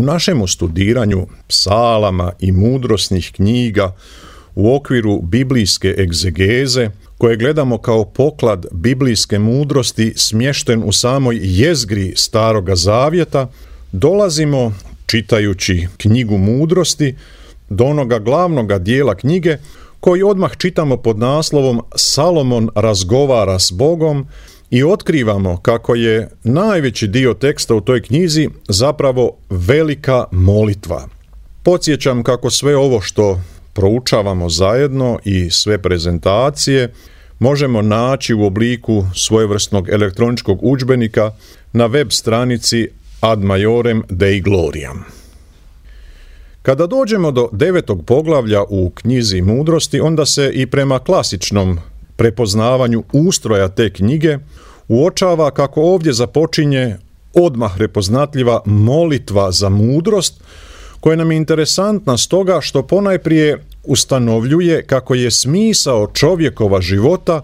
U našemu studiranju psalama i mudrosnih knjiga u okviru biblijske egzegeze, koje gledamo kao poklad biblijske mudrosti smješten u samoj jezgri Staroga Zavjeta, dolazimo, čitajući knjigu mudrosti, do onoga glavnoga dijela knjige koji odmah čitamo pod naslovom Salomon razgovara s Bogom i otkrivamo kako je najveći dio teksta u toj knjizi zapravo velika molitva. Podsjećam kako sve ovo što proučavamo zajedno i sve prezentacije možemo naći u obliku svojevrsnog elektroničkog udžbenika na web stranici Ad Maiorem Dei Gloriam. Kada dođemo do 9. poglavlja u knjizi mudrosti, onda se i prema klasičnom prepoznavanju ustroja te knjige uočava kako ovdje započinje odmah prepoznatljiva molitva za mudrost, koja nam je interesantna stoga što ponajprije ustanovljuje kako je smisao čovjekova života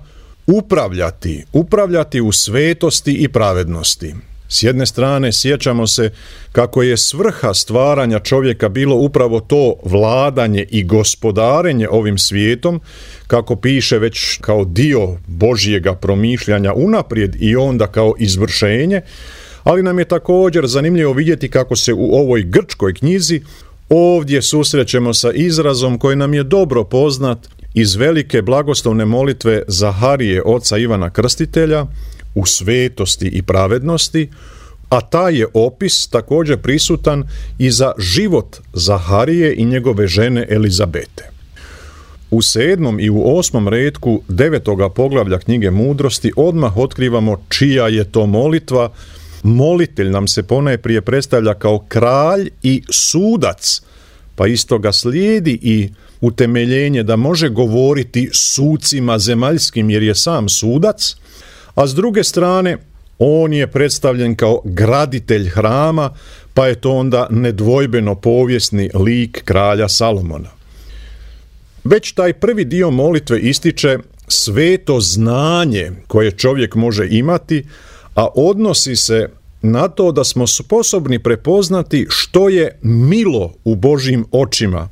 upravljati u svetosti i pravednosti. S jedne strane sjećamo se kako je svrha stvaranja čovjeka bilo upravo to vladanje i gospodarenje ovim svijetom, kako piše već kao dio Božjega promišljanja unaprijed i onda kao izvršenje, ali nam je također zanimljivo vidjeti kako se u ovoj grčkoj knjizi ovdje susrećemo sa izrazom koji nam je dobro poznat iz velike blagoslovne molitve Zaharije, oca Ivana Krstitelja, u svetosti i pravednosti, a taj je opis također prisutan i za život Zaharije i njegove žene Elizabete. U 7. i u 8. retku 9. poglavlja knjige mudrosti odmah otkrivamo čija je to molitva. Molitelj nam se ponajprije predstavlja kao kralj i sudac, pa isto ga slijedi i utemeljenje da može govoriti sucima zemaljskim jer je sam sudac, a s druge strane on je predstavljen kao graditelj hrama, pa je to onda nedvojbeno povijesni lik kralja Salomona. Već taj prvi dio molitve ističe sveto znanje koje čovjek može imati, a odnosi se na to da smo sposobni prepoznati što je milo u Božjim očima.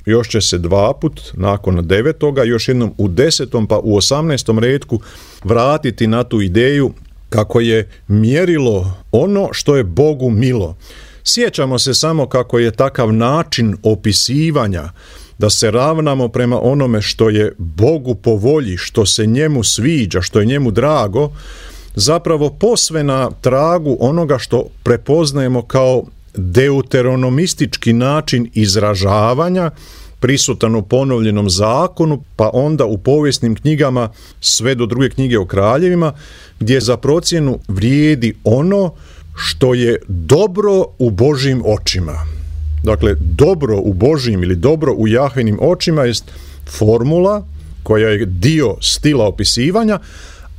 Još će se dva put, nakon 9. još jednom u 10. pa u 18. retku vratiti na tu ideju kako je mjerilo ono što je Bogu milo. Sjećamo se samo kako je takav način opisivanja, da se ravnamo prema onome što je Bogu po volji, što se njemu sviđa, što je njemu drago, zapravo posve na tragu onoga što prepoznajemo kao deuteronomistički način izražavanja, prisutan u ponovljenom zakonu, pa onda u povijesnim knjigama sve do 2. knjige o kraljevima, gdje za procjenu vrijedi ono što je dobro u Božjim očima. Dakle, dobro u Božjim ili dobro u Jahvinim očima jest formula koja je dio stila opisivanja,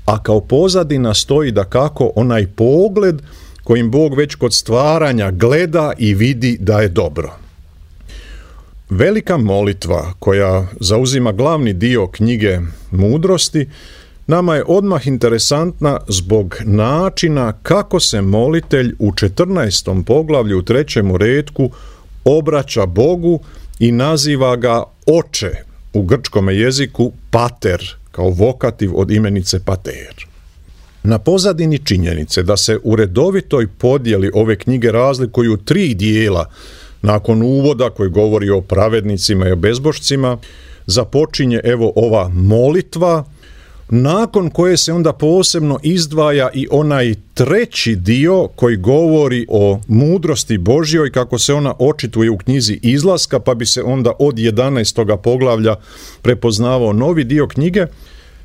a kao pozadina stoji dakako onaj pogled kojim Bog već kod stvaranja gleda i vidi da je dobro. Velika molitva koja zauzima glavni dio knjige mudrosti nama je odmah interesantna zbog načina kako se molitelj u 14. poglavlju u 3. retku obraća Bogu i naziva ga oče, u grčkom jeziku pater, kao vokativ od imenice pater. Na pozadini činjenice da se u redovitoj podjeli ove knjige razlikuju 3 dijela, nakon uvoda koji govori o pravednicima i o bezbožcima, započinje evo ova molitva, nakon koje se onda posebno izdvaja i onaj 3. dio koji govori o mudrosti Božjoj, kako se ona očituje u knjizi Izlaska, pa bi se onda od 11. poglavlja prepoznavao novi dio knjige.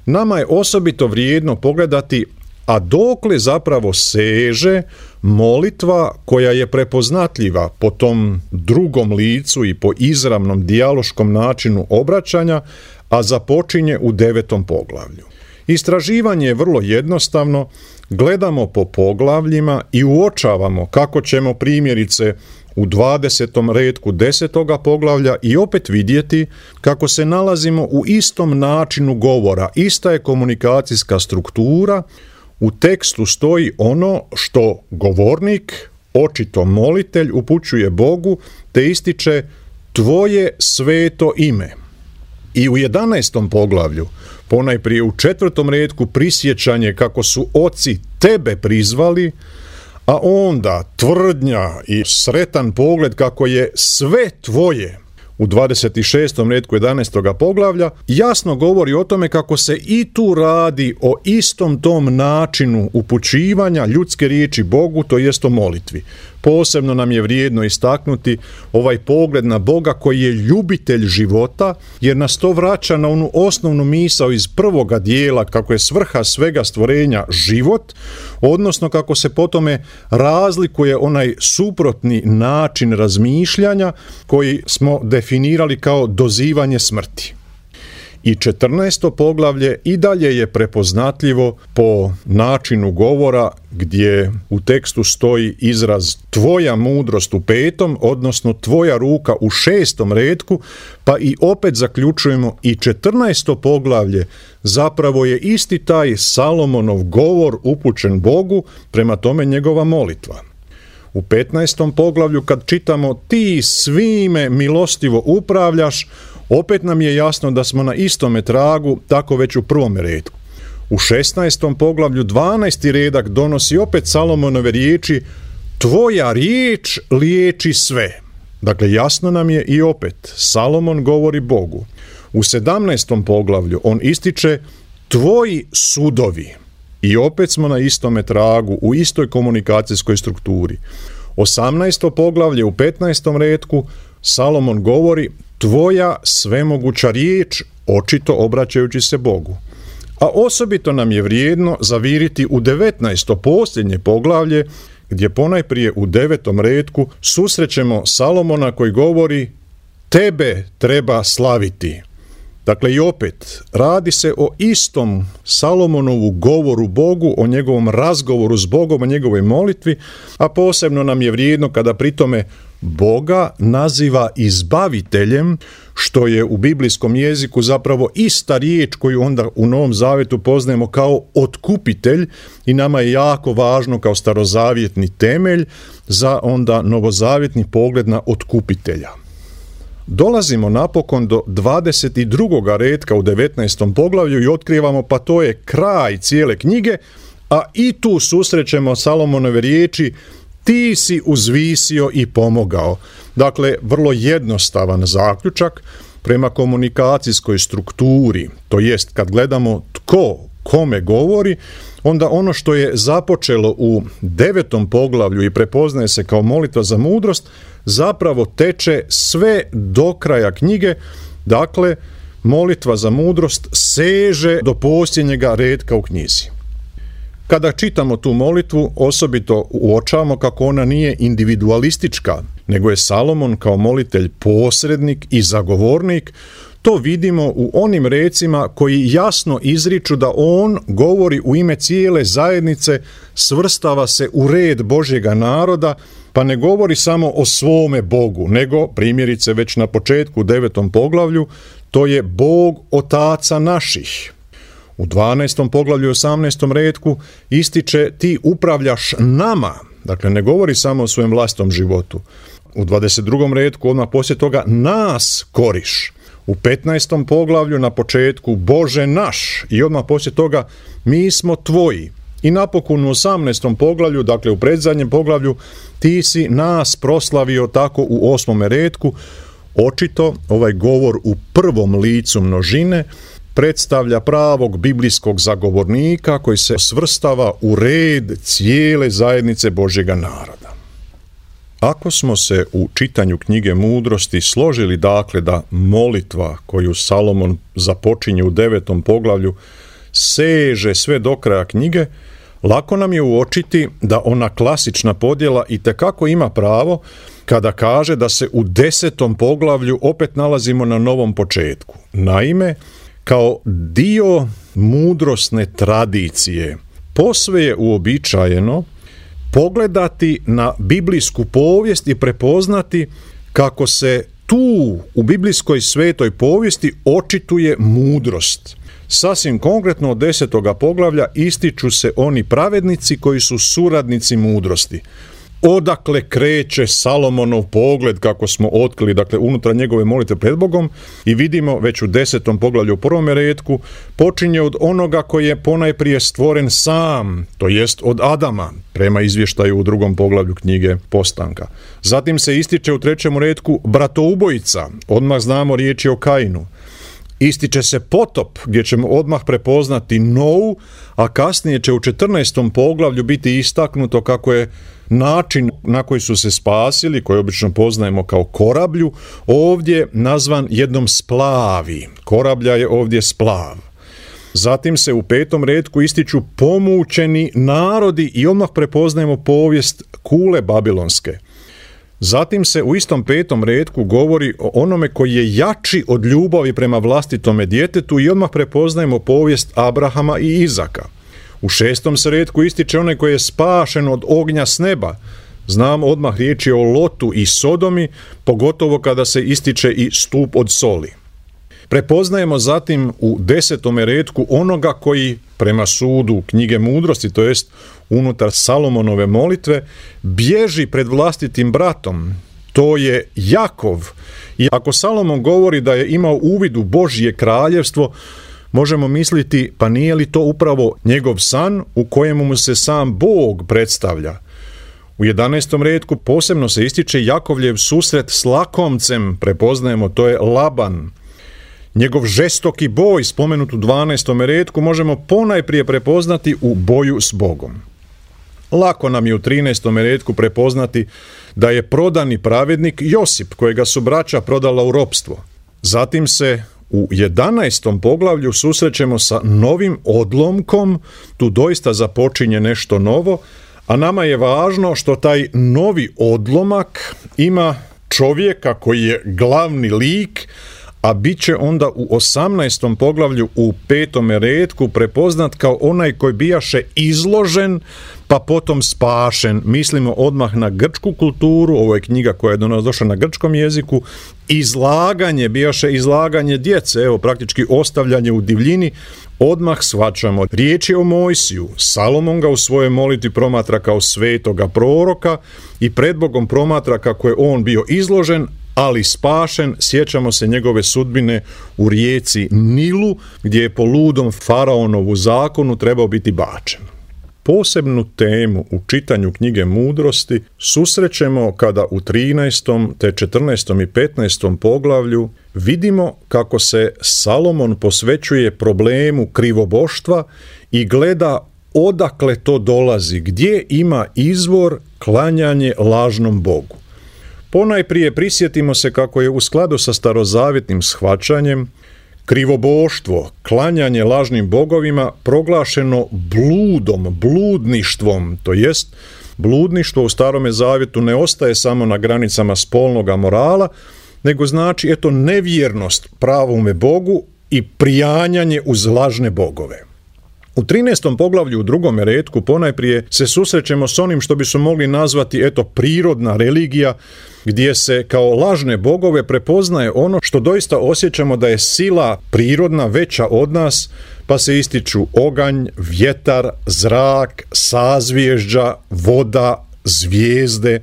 Nama je osobito vrijedno pogledati a dokle zapravo seže molitva koja je prepoznatljiva po tom drugom licu i po izravnom dijaloškom načinu obraćanja, a započinje u 9. poglavlju. Istraživanje je vrlo jednostavno, gledamo po poglavljima i uočavamo kako ćemo primjerice u 20. retku 10. poglavlja i opet vidjeti kako se nalazimo u istom načinu govora, ista je komunikacijska struktura, u tekstu stoji ono što govornik Očito molitelj upućuje Bogu te ističe tvoje sveto ime. I u 11. poglavlju, ponajprije u 4. retku prisjećanje kako su oci tebe prizvali, a onda tvrdnja i sretan pogled kako je sve tvoje u 26. retku 11. poglavlja, jasno govori o tome kako se i tu radi o istom tom načinu upućivanja ljudske riječi Bogu, to jest o molitvi. Posebno nam je vrijedno istaknuti ovaj pogled na Boga koji je ljubitelj života, jer nas to vraća na onu osnovnu misao iz prvoga dijela, kako je svrha svega stvorenja život, odnosno kako se po tome razlikuje onaj suprotni način razmišljanja koji smo definirali kao dozivanje smrti. I 14. poglavlje i dalje je prepoznatljivo po načinu govora gdje u tekstu stoji izraz tvoja mudrost u 5., odnosno tvoja ruka u 6. retku, pa i opet zaključujemo i 14. poglavlje zapravo je isti taj Salomonov govor upućen Bogu, prema tome njegova molitva. U 15. poglavlju kad čitamo ti svime milostivo upravljaš, opet nam je jasno da smo na istome tragu, tako već u 1. retku. U 16. poglavlju 12. redak donosi opet Salomonove riječi tvoja riječ liječi sve. Dakle, jasno nam je i opet Salomon govori Bogu. U 17. poglavlju on ističe tvoji sudovi. I opet smo na istome tragu, u istoj komunikacijskoj strukturi. 18. poglavlje u 15. retku Salomon govori tvoja svemoguća riječ, očito obraćajući se Bogu. A osobito nam je vrijedno zaviriti u 19. posljednje poglavlje, gdje ponajprije u 9. retku susrećemo Salomona koji govori tebe treba slaviti. Dakle, i opet, radi se o istom Salomonovu govoru Bogu, o njegovom razgovoru s Bogom, o njegovoj molitvi, a posebno nam je vrijedno kada pritome Boga naziva izbaviteljem, što je u biblijskom jeziku zapravo ista riječ koju onda u Novom Zavetu poznajemo kao otkupitelj i nama je jako važno kao starozavjetni temelj za onda novozavjetni pogled na otkupitelja. Dolazimo napokon do 22. retka u 19. poglavlju i otkrivamo pa to je kraj cijele knjige, a i tu susrećemo Salomonove riječi ti si uzvisio i pomogao. Dakle, vrlo jednostavan zaključak prema komunikacijskoj strukturi, to jest kad gledamo tko kome govori, onda ono što je započelo u 9. poglavlju i prepoznaje se kao molitva za mudrost, zapravo teče sve do kraja knjige. Dakle, molitva za mudrost seže do posljednjega retka u knjizi. Kada čitamo tu molitvu, osobito uočavamo kako ona nije individualistička, nego je Salomon kao molitelj posrednik i zagovornik. To vidimo u onim recima koji jasno izriču da on govori u ime cijele zajednice, svrstava se u red Božjega naroda, pa ne govori samo o svome Bogu, nego, primjerice već na početku u 9. poglavlju, to je Bog otaca naših. U 12. poglavlju 18. retku ističe ti upravljaš nama, dakle ne govori samo o svojem vlastitom životu. U 22. retku odmah poslije toga nas koriš. U 15. poglavlju na početku Bože naš i odmah poslije toga mi smo tvoji. I napokon u 18. poglavlju, dakle u predzadnjem poglavlju, ti si nas proslavio tako u 8. retku. Očito ovaj govor u prvom licu množine predstavlja pravog biblijskog zagovornika koji se svrstava u red cijele zajednice Božjega naroda. Ako smo se u čitanju knjige Mudrosti složili dakle da molitva koju Salomon započinje u 9. poglavlju seže sve do kraja knjige, lako nam je uočiti da ona klasična podjela itekako ima pravo kada kaže da se u 10. poglavlju opet nalazimo na novom početku. Naime, kao dio mudrosne tradicije posve je uobičajeno pogledati na biblijsku povijest i prepoznati kako se tu u biblijskoj svetoj povijesti očituje mudrost. Sasvim konkretno od 10. poglavlja ističu se oni pravednici koji su suradnici mudrosti. odakle kreće Salomonov pogled, kako smo otkrili, dakle, unutar njegove molitve pred Bogom, i vidimo već u 10. poglavlju u 1. retku, počinje od onoga koji je ponajprije stvoren sam, to jest od Adama, prema izvještaju u 2. poglavlju knjige Postanka. Zatim se ističe u 3. retku bratoubojica, odmah znamo riječ je o Kainu. Ističe se potop, gdje ćemo odmah prepoznati Novu, a kasnije će u 14. poglavlju biti istaknuto kako je način na koji su se spasili, koji obično poznajemo kao korablju, ovdje nazvan jednom splavi. Korablja je ovdje splav. Zatim se u 5. retku ističu pomučeni narodi i odmah prepoznajemo povijest kule babilonske. Zatim se u istom 5. retku govori o onome koji je jači od ljubavi prema vlastitome djetetu i odmah prepoznajemo povijest Abrahama i Izaka. U 6. se retku ističe onaj koji je spašen od ognja s neba. Znamo odmah riječ je o Lotu i Sodomi, pogotovo kada se ističe i stup od soli. Prepoznajemo zatim u 10. retku onoga koji prema sudu knjige mudrosti, to jest unutar Salomonove molitve, bježi pred vlastitim bratom. To je Jakov. I ako Salomon govori da je imao uvid u Božje kraljevstvo, možemo misliti, pa nije li to upravo njegov san u kojemu mu se sam Bog predstavlja? U 11. retku posebno se ističe Jakovljev susret s lakomcem, prepoznajemo, to je Laban. Njegov žestoki boj, spomenut u 12. retku, možemo ponajprije prepoznati u boju s Bogom. Lako nam je u 13. retku prepoznati da je prodani pravednik Josip, kojega su braća prodala u ropstvo. Zatim se u 11. poglavlju susrećemo sa novim odlomkom, tu doista započinje nešto novo, a nama je važno što taj novi odlomak ima čovjeka koji je glavni lik, a bit će onda u 18. poglavlju u 5. retku prepoznat kao onaj koji bijaše izložen, pa potom spašen. Mislimo odmah na grčku kulturu, ovo je knjiga koja je do nas došla na grčkom jeziku, bijaše izlaganje djece, evo praktički ostavljanje u divljini, odmah shvaćamo. Riječ je o Mojsiju, Salomon ga u svojoj molitvi promatra kao svetoga proroka i pred Bogom promatra kako je on bio izložen, ali spašen. Sjećamo se njegove sudbine u rijeci Nilu, gdje je po ludom faraonovu zakonu trebao biti bačen. Posebnu temu u čitanju knjige mudrosti susrećemo kada u 13. te 14. i 15. poglavlju vidimo kako se Salomon posvećuje problemu krivoboštva i gleda odakle to dolazi, gdje ima izvor klanjanje lažnom Bogu. Ponajprije prisjetimo se kako je u skladu sa starozavjetnim shvaćanjem krivoboštvo, klanjanje lažnim bogovima proglašeno bludništvom, to jest bludništvo u Starome zavjetu ne ostaje samo na granicama spolnoga morala, nego znači nevjernost pravome Bogu i prijanjanje uz lažne bogove. U 13. poglavlju u 2. retku ponajprije se susrećemo s onim što bi se mogli nazvati prirodna religija, gdje se kao lažne bogove prepoznaje ono što doista osjećamo da je sila prirodna veća od nas, pa se ističu oganj, vjetar, zrak, sazvježđa, voda, zvijezde.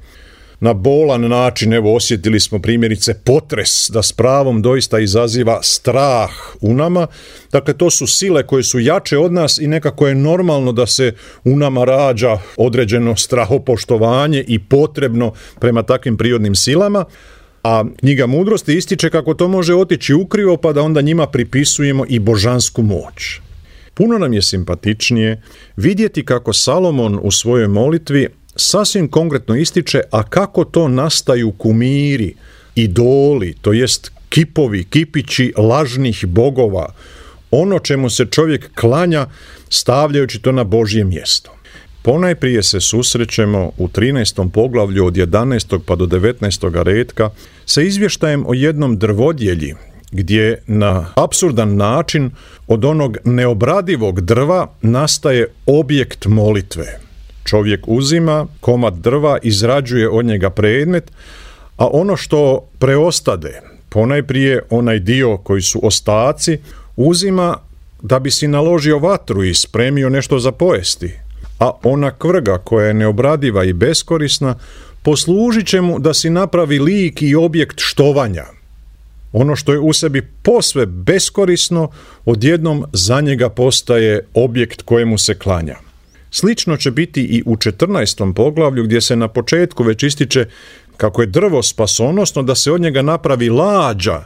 Na bolan način, osjetili smo primjerice potres, da s pravom doista izaziva strah u nama. Dakle, to su sile koje su jače od nas i nekako je normalno da se u nama rađa određeno strahopoštovanje i potrebno prema takvim prirodnim silama. A knjiga mudrosti ističe kako to može otići ukrivo, pa da onda njima pripisujemo i božansku moć. Puno nam je simpatičnije vidjeti kako Salomon u svojoj molitvi sasvim konkretno ističe, a kako to nastaju kumiri, idoli, to jest kipovi, kipići lažnih bogova, ono čemu se čovjek klanja stavljajući to na Božje mjesto. Ponajprije se susrećemo u 13. poglavlju od 11. pa do 19. retka sa izvještajem o jednom drvodjelji, gdje na apsurdan način od onog neobradivog drva nastaje objekt molitve. Čovjek uzima komad drva, izrađuje od njega predmet, a ono što preostade, ponajprije onaj dio koji su ostaci, uzima da bi si naložio vatru i spremio nešto za pojesti. a ona kvrga koja je neobradiva i beskorisna poslužit će mu da si napravi lik i objekt štovanja. Ono što je u sebi posve beskorisno, odjednom za njega postaje objekt kojemu se klanja. Slično će biti i u 14. poglavlju gdje se na početku već ističe kako je drvo spasonosno da se od njega napravi lađa,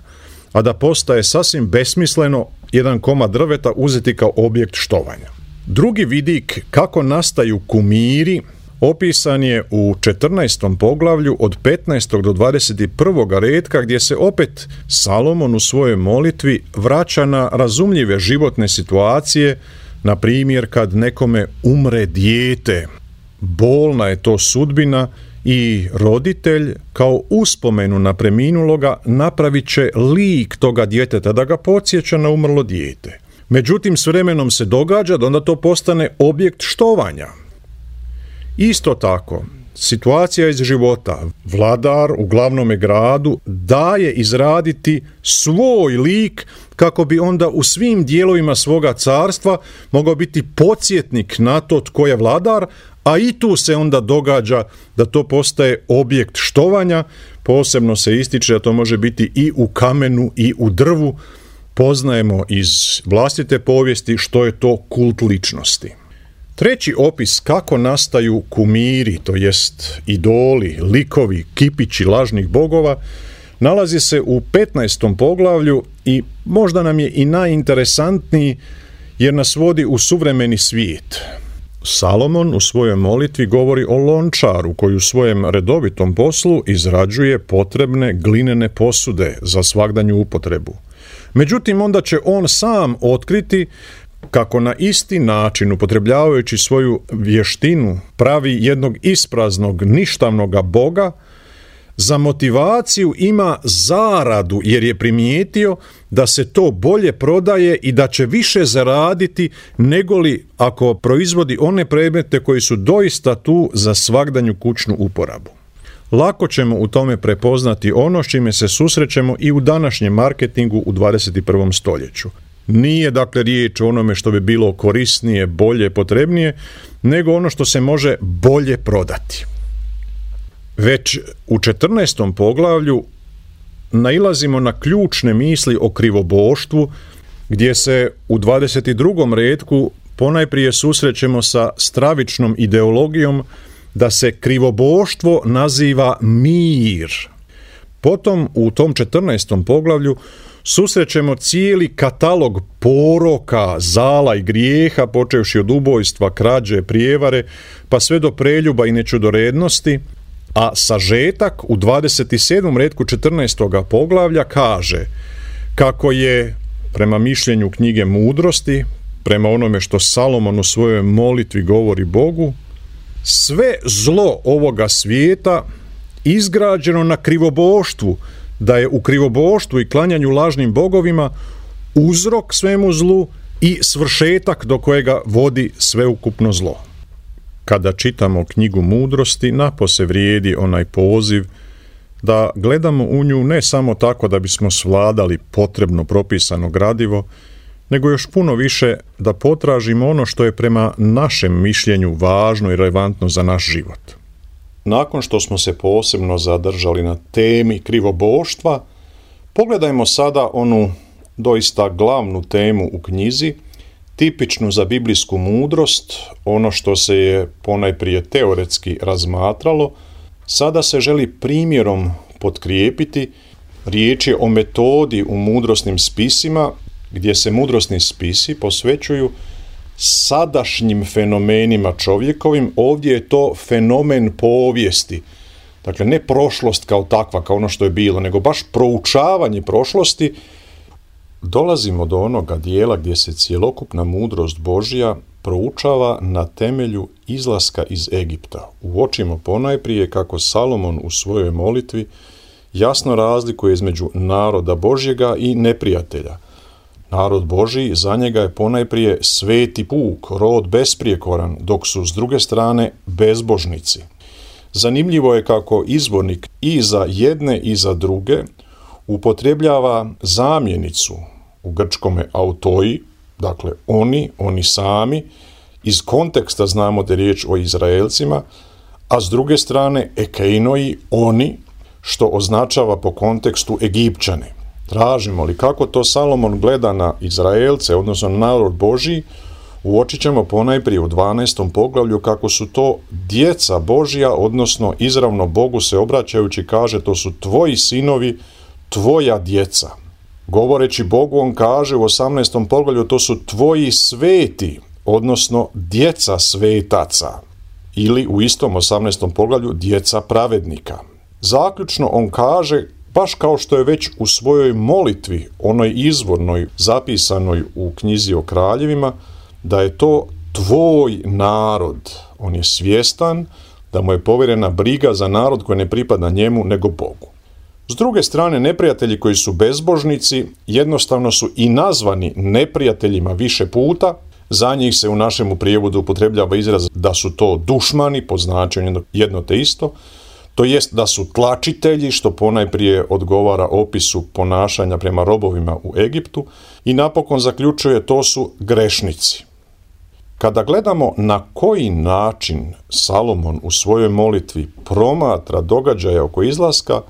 a da postaje sasvim besmisleno jedan komad drveta uzeti kao objekt štovanja. Drugi vidik kako nastaju kumiri opisan je u 14. poglavlju od 15. do 21. retka gdje se opet Salomon u svojoj molitvi vraća na razumljive životne situacije, na primjer kad nekome umre dijete. Bolna je to sudbina i roditelj kao uspomenu na preminuloga napravit će lik toga djeteta da ga podsjeća na umrlo dijete. Međutim, s vremenom se događa da onda to postane objekt štovanja. Isto tako, situacija iz života. Vladar u glavnome gradu daje izraditi svoj lik kako bi onda u svim dijelovima svoga carstva mogao biti podsjetnik na to tko je vladar, a i tu se onda događa da to postaje objekt štovanja. Posebno se ističe da to može biti i u kamenu i u drvu. Poznajemo iz vlastite povijesti što je to kult ličnosti. Treći opis kako nastaju kumiri, to jest idoli, likovi, kipići lažnih bogova, nalazi se u 15. poglavlju i možda nam je i najinteresantniji jer nas vodi u suvremeni svijet. Salomon u svojoj molitvi govori o lončaru koji u svojem redovitom poslu izrađuje potrebne glinene posude za svagdanju upotrebu. Međutim, onda će on sam otkriti kako na isti način, upotrebljavajući svoju vještinu, pravi jednog ispraznog, ništavnog boga, za motivaciju ima zaradu jer je primijetio da se to bolje prodaje i da će više zaraditi negoli ako proizvodi one predmete koji su doista tu za svagdanju kućnu uporabu. Lako ćemo u tome prepoznati ono s čime se susrećemo i u današnjem marketingu u 21. stoljeću. Nije dakle riječ o onome što bi bilo korisnije, bolje, potrebnije, nego ono što se može bolje prodati. Već u 14. poglavlju nailazimo na ključne misli o krivoboštvu, gdje se u 22. retku ponajprije susrećemo sa stravičnom ideologijom da se krivoboštvo naziva mir. Potom u tom 14. poglavlju susrećemo cijeli katalog poroka, zala i grijeha, počevši od ubojstva, krađe, prijevare, pa sve do preljuba i nečudorednosti, a sažetak u 27. retku 14. poglavlja kaže kako je, prema mišljenju knjige Mudrosti, prema onome što Salomon u svojoj molitvi govori Bogu, sve zlo ovoga svijeta izgrađeno na krivoboštvu, da je u krivoboštvu i klanjanju lažnim bogovima uzrok svemu zlu i svršetak do kojega vodi sveukupno zlo. Kada čitamo knjigu Mudrosti, napose vrijedi onaj poziv da gledamo u nju ne samo tako da bismo svladali potrebno propisano gradivo, nego još puno više da potražimo ono što je prema našem mišljenju važno i relevantno za naš život. Nakon što smo se posebno zadržali na temi krivoboštva, pogledajmo sada onu doista glavnu temu u knjizi, tipičnu za biblijsku mudrost, ono što se je ponajprije teoretski razmatralo, sada se želi primjerom potkrijepiti. Riječ je o metodi u mudrosnim spisima, gdje se mudrosni spisi posvećuju sadašnjim fenomenima čovjekovim. Ovdje je to fenomen povijesti. Dakle, ne prošlost kao takva, kao ono što je bilo, nego baš proučavanje prošlosti. Dolazimo do onoga dijela gdje se cjelokupna mudrost Božja proučava na temelju izlaska iz Egipta. Uočimo ponajprije kako Salomon u svojoj molitvi jasno razlikuje između naroda Božjega i neprijatelja. Narod Božji za njega je ponajprije sveti puk, rod besprijekoran, dok su s druge strane bezbožnici. Zanimljivo je kako izvornik i za jedne i za druge upotrebljava zamjenicu u grčkome autoi, dakle oni sami, iz konteksta znamo da je riječ o Izraelcima, a s druge strane ekeinoi, oni, što označava po kontekstu Egipćane. Tražimo li kako to Salomon gleda na Izraelce, odnosno na narod Božji, uočit ćemo ponajprije u 12. poglavlju kako su to djeca Božja, odnosno izravno Bogu se obraćajući kaže to su tvoji sinovi, tvoja djeca. Govoreći Bogu on kaže u 18. poglavlju to su tvoji sveti, odnosno djeca svetaca. Ili u istom 18. poglavlju djeca pravednika. Zaključno on kaže, baš kao što je već u svojoj molitvi, onoj izvornoj zapisanoj u knjizi o kraljevima, da je to tvoj narod. On je svjestan da mu je povjerena briga za narod koji ne pripada njemu nego Bogu. S druge strane, neprijatelji koji su bezbožnici jednostavno su i nazvani neprijateljima više puta. Za njih se u našemu prijevodu upotrebljava izraz da su to dušmani, po značenju jedno te isto, to jest da su tlačitelji, što ponajprije odgovara opisu ponašanja prema robovima u Egiptu, i napokon zaključuje to su grešnici. Kada gledamo na koji način Salomon u svojoj molitvi promatra događaje oko izlaska,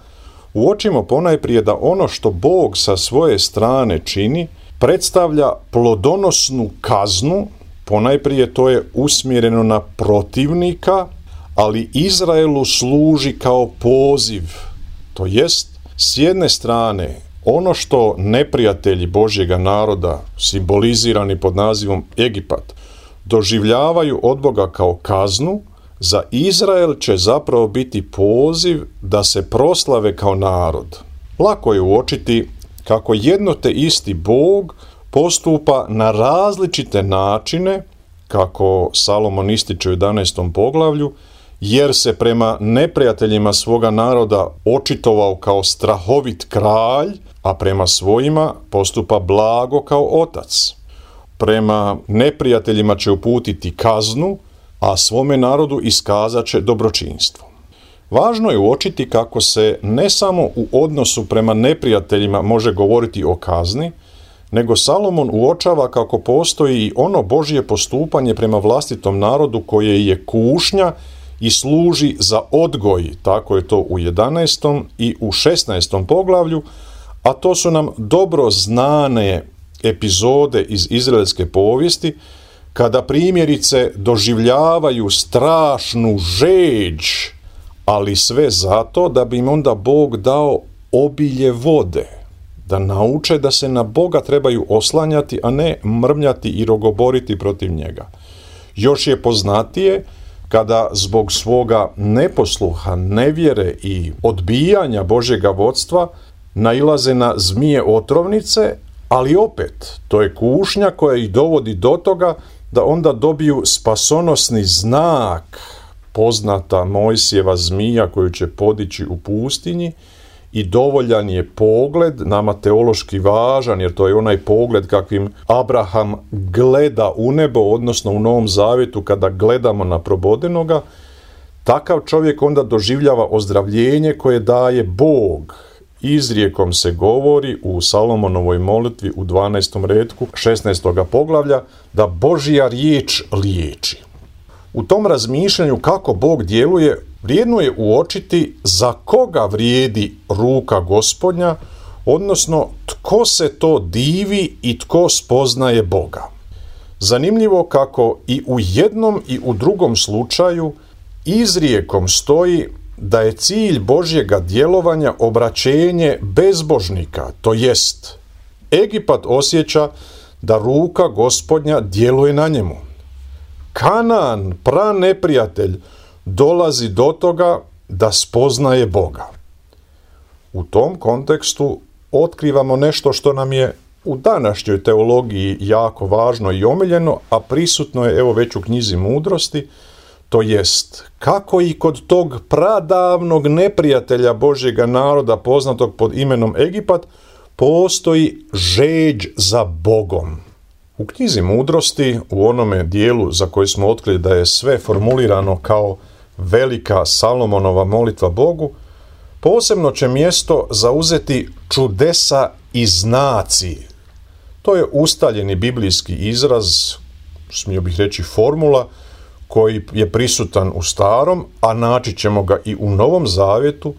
uočimo ponajprije da ono što Bog sa svoje strane čini predstavlja plodonosnu kaznu, ponajprije to je usmjereno na protivnika, ali Izraelu služi kao poziv. To jest, s jedne strane, ono što neprijatelji Božjega naroda, simbolizirani pod nazivom Egipat, doživljavaju od Boga kao kaznu, za Izrael će zapravo biti poziv da se proslave kao narod. Lako je uočiti kako jedno te isti Bog postupa na različite načine, kako Salomon ističe u 11. poglavlju, jer se prema neprijateljima svoga naroda očitovao kao strahovit kralj, a prema svojima postupa blago kao otac. Prema neprijateljima će uputiti kaznu, a svome narodu iskazat će dobročinstvo. Važno je uočiti kako se ne samo u odnosu prema neprijateljima može govoriti o kazni, nego Salomon uočava kako postoji i ono Božje postupanje prema vlastitom narodu koje je kušnja i služi za odgoj, tako je to u 11. i u 16. poglavlju, a to su nam dobro znane epizode iz izraelske povijesti, kada primjerice doživljavaju strašnu žeđ, ali sve zato da bi im onda Bog dao obilje vode, da nauče da se na Boga trebaju oslanjati, a ne mrmljati i rogoboriti protiv njega. Još je poznatije kada zbog svoga neposluha, nevjere i odbijanja Božjega vodstva nailaze na zmije otrovnice, ali opet, to je kušnja koja ih dovodi do toga da onda dobiju spasonosni znak, poznata Mojsijeva zmija koju će podići u pustinji, i dovoljan je pogled, nama teološki važan, jer to je onaj pogled kakvim Abraham gleda u nebo, odnosno u Novom Zavjetu kada gledamo na probodenoga, takav čovjek onda doživljava ozdravljenje koje daje Bog. Izrijekom se govori u Salomonovoj molitvi u 12. retku 16. poglavlja da Božja riječ liječi. U tom razmišljanju kako Bog djeluje, vrijedno je uočiti za koga vrijedi ruka Gospodnja, odnosno tko se to divi i tko spoznaje Boga. Zanimljivo kako i u jednom i u drugom slučaju izrijekom stoji da je cilj Božjega djelovanja obraćenje bezbožnika, to jest Egipat osjeća da ruka Gospodnja djeluje na njemu. Kanaan, praneprijatelj, dolazi do toga da spoznaje Boga. U tom kontekstu otkrivamo nešto što nam je u današnjoj teologiji jako važno i omiljeno, a prisutno je evo već u knjizi Mudrosti, to jest kako i kod tog pradavnog neprijatelja Božjega naroda poznatog pod imenom Egipat postoji žeđ za Bogom. U knjizi Mudrosti, u onome dijelu za koji smo otkrili da je sve formulirano kao velika Salomonova molitva Bogu, posebno će mjesto zauzeti čudesa i znaci. To je ustaljeni biblijski izraz smio bih reći, formula koji je prisutan u Starom, a naći ćemo ga i u Novom Zavjetu,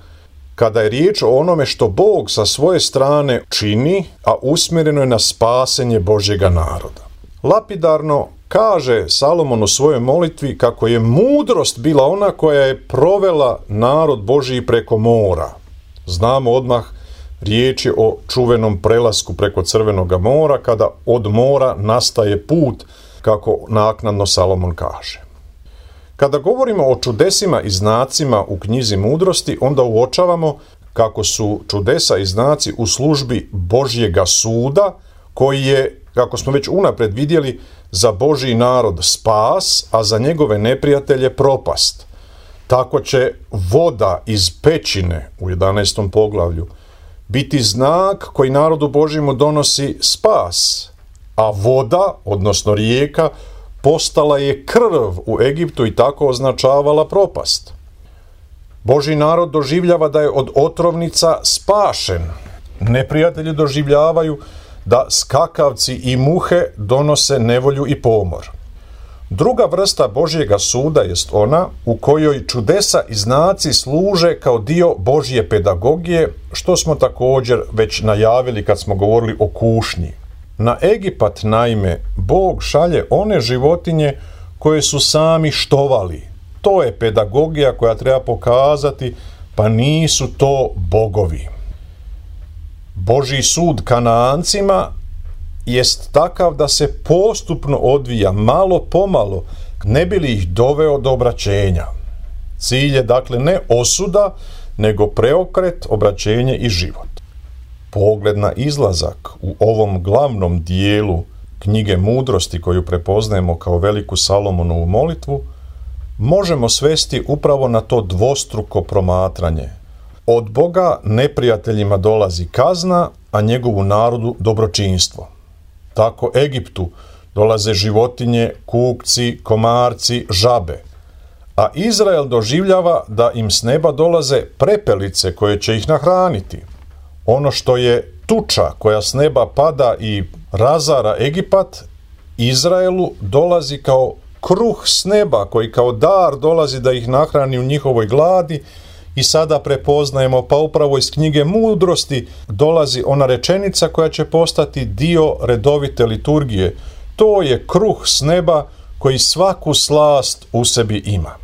kada je riječ o onome što Bog sa svoje strane čini, a usmjereno je na spasenje Božjega naroda. Lapidarno kaže Salomon u svojoj molitvi kako je mudrost bila ona koja je provela narod Božji preko mora. Znamo odmah, riječ je o čuvenom prelasku preko Crvenoga mora, kada od mora nastaje put, kako naknadno Salomon kaže. Kada govorimo o čudesima i znacima u knjizi mudrosti, onda uočavamo kako su čudesa i znaci u službi Božjega suda, koji je, kako smo već unaprijed vidjeli, za Božji narod spas, a za njegove neprijatelje propast. Tako će voda iz pećine u 11. poglavlju biti znak koji narodu Božjemu donosi spas, a voda, odnosno rijeka, postala je krv u Egiptu i tako označavala propast. Božji narod doživljava da je od otrovnica spašen. Neprijatelji doživljavaju da skakavci i muhe donose nevolju i pomor. Druga vrsta Božjega suda jest ona u kojoj čudesa i znaci služe kao dio Božje pedagogije, što smo također već najavili kad smo govorili o kušnji. Na Egipat, naime, Bog šalje one životinje koje su sami štovali. To je pedagogija koja treba pokazati, pa nisu to bogovi. Božji sud Kanaancima jest takav da se postupno odvija, malo pomalo, ne bi li ih doveo do obraćenja. Cilj je dakle ne osuda, nego preokret, obraćenje i život. Pogled na izlazak u ovom glavnom dijelu knjige mudrosti, koju prepoznajemo kao veliku Salomonovu molitvu, možemo svesti upravo na to dvostruko promatranje. Od Boga neprijateljima dolazi kazna, a njegovu narodu dobročinstvo. Tako Egiptu dolaze životinje, kukci, komarci, žabe, a Izrael doživljava da im s neba dolaze prepelice koje će ih nahraniti. Ono što je tuča koja s neba pada i razara Egipat, Izraelu dolazi kao kruh s neba koji kao dar dolazi da ih nahrani u njihovoj gladi. I sada prepoznajemo, pa upravo iz knjige mudrosti dolazi ona rečenica koja će postati dio redovite liturgije. To je kruh s neba koji svaku slast u sebi ima.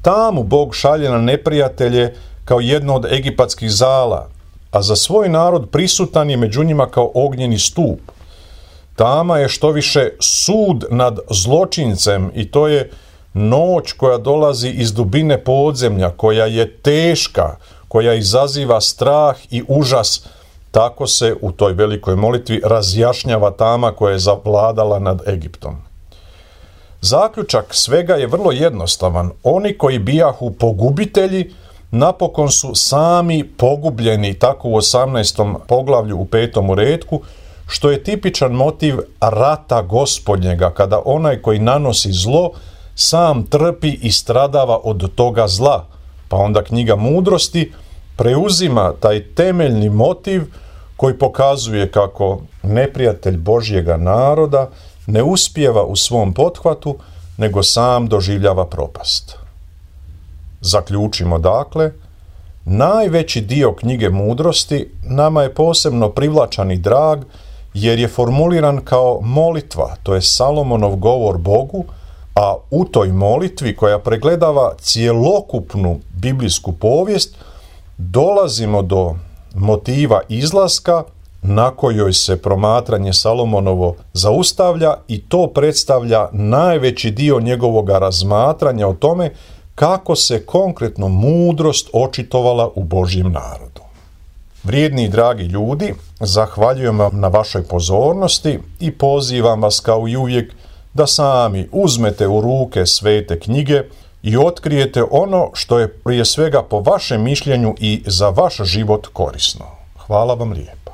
Tamu Bog šalje na neprijatelje kao jedno od egipatskih zala, a za svoj narod prisutan je među njima kao ognjeni stup. Tama je što više sud nad zločincem i to je noć koja dolazi iz dubine podzemlja, koja je teška, koja izaziva strah i užas. Tako se u toj velikoj molitvi razjašnjava tama koja je zavladala nad Egiptom. Zaključak svega je vrlo jednostavan. Oni koji bijahu pogubitelji napokon su sami pogubljeni, tako u 18. poglavlju u 5. retku, što je tipičan motiv rata Gospodnjega, kada onaj koji nanosi zlo sam trpi i stradava od toga zla. Pa onda knjiga mudrosti preuzima taj temeljni motiv koji pokazuje kako neprijatelj Božjega naroda ne uspijeva u svom pothvatu, nego sam doživljava propast. Zaključimo dakle, najveći dio knjige mudrosti nama je posebno privlačan i drag, jer je formuliran kao molitva, to je Salomonov govor Bogu, a u toj molitvi koja pregledava cjelokupnu biblijsku povijest dolazimo do motiva izlaska na kojoj se promatranje Salomonovo zaustavlja i to predstavlja najveći dio njegovoga razmatranja o tome kako se konkretno mudrost očitovala u Božjem narodu. Vrijedni i dragi ljudi, zahvaljujem vam na vašoj pozornosti i pozivam vas kao i uvijek da sami uzmete u ruke svete knjige i otkrijete ono što je prije svega po vašem mišljenju i za vaš život korisno. Hvala vam lijepa.